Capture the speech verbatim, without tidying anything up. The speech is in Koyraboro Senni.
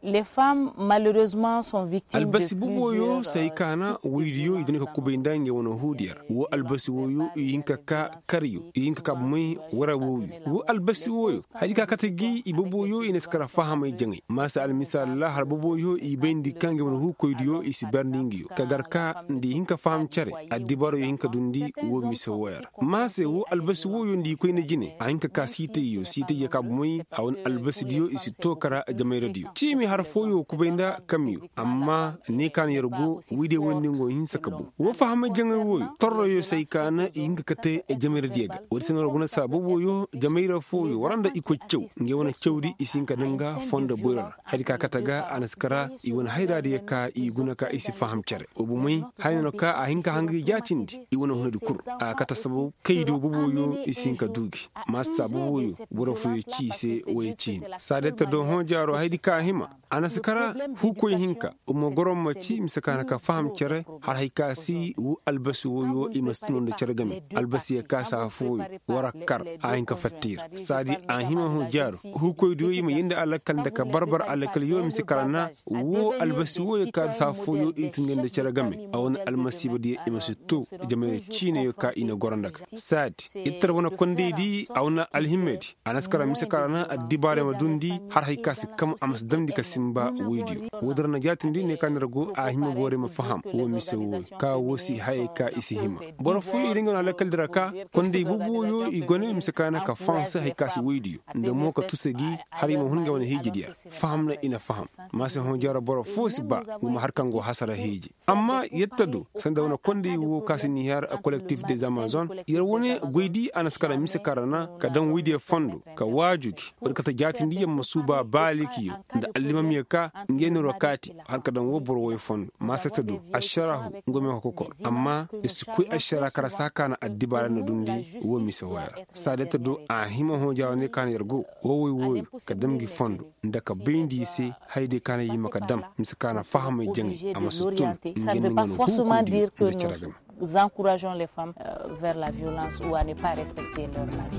Les femmes malheureusement sont victimes de plusieurs. Albasi boboyo se hay kaana woydiyo i dini ka kubay nda ngey wane huudiyo ra. Wo albasi woyo i hin ka ka karyo i hin ka ka bomey wara woyo. Wo albasi woyo hari ka kate gi i boboyo i na si kara fahamay jaŋay maasa almisaal ra har boboyo i bayndi ka ngey wane huukoydiyo i si barndi nga yo ka gar ka nda i hin ka faham cere. Addibaaro i hin ka dundi wo mise woyo ra. Maase wo albasi woyo nda i koyne jine a hin ka ka siitayyo siitayyo ka bomey a wane albasidiyo i si too kara jamayradiyo ciimi har fooyo kubay nda kamyo. Amma ne ka na yer go wiidiyo woy nda ngo hinsa ka boŋ wo fahamay jaŋay woyo torroyo se ay ka na i hin ka kate jamayradiyo ga. Woodi se no ra guna saa boboyo jamayra fooyo war nda i koy caw ngey wane cawdi i si hin ka daŋ ga fondo boyro ra. Hari ka kate ga a na si kara i wane hayraadiyo ka i guna ka i si faham cere wo bomey haya no ka a hin ka hanga i jaatindi i wane hunadi kul. A kate sabab kaydo boboyo i si hin ka du gi maasa boboyo boro fooyo ci i se woy ciini saadetta do hõ jaaro haydi ka a hima. A na si kara huukoy hinka uma goro ma ci mise ka na ka faham cere har hay ka si wu albasi woyo i ma si tun nda cere game albasiyo ka si afooyo war a kar a hin ka fatta ir saadi a hima hõ jaaru huukoydiyo i ma yee nda alakal nda ka barbar alakal yo mise kara na wo albasi woyo ka si afooyo i tun nda cere game a wane almasiibadiyo i ma si too jamayra ciinayo ka i na goro nda ga saadi ittar wane kondaydi a wane alhimmedi a na si kara mise ka ra na addibaarey ma dundi har hay ka si kam a ma si damndi ka sinba woydiyo. Woodi ra na jaatindi ne ka na ir go a hima borey ma faham wo mise wooyo ka wo si hayey ka i si hima. Boro fooyo i di nga no alakal di ra ka konday boboyo i gone mise ka na ka fahanse hay ka si woydiyo nda mo ka tusa gi har i ma hun nga wane hiijidiyo ra faham na i na faham. Maase hõ jaaro boro foo si ba nga ma har kaŋ go hasara hiiji amma yetta do sanda wane kondey wo ka si niihar kolektif des amazon yer wane goydi a na si kara mise kara na ka daŋ woydiyo fondo ka waaju gi war kate jaatindi yer ma suuba baalikiyo nda allimamiyo ka ngey no ra kaati har ka daŋ wo boro woy fondo maase yetta do ašarahu nga me ka kokor amma yer si koy ašara kara si a kaana addibaara na dundi wo mise woy ra. Saada yetta do a hima hõ jaawane ka na yer go wo woy wooyo ka dam gi fondo nda ka bayndi i se hayadiyo ka na i hima ka dam mise ka na fahamay jaŋay a ma si tun nga nda nga no huukundi nda cere game. Encourageons les femmes vers la violence ou à ne pas respecter leur mari.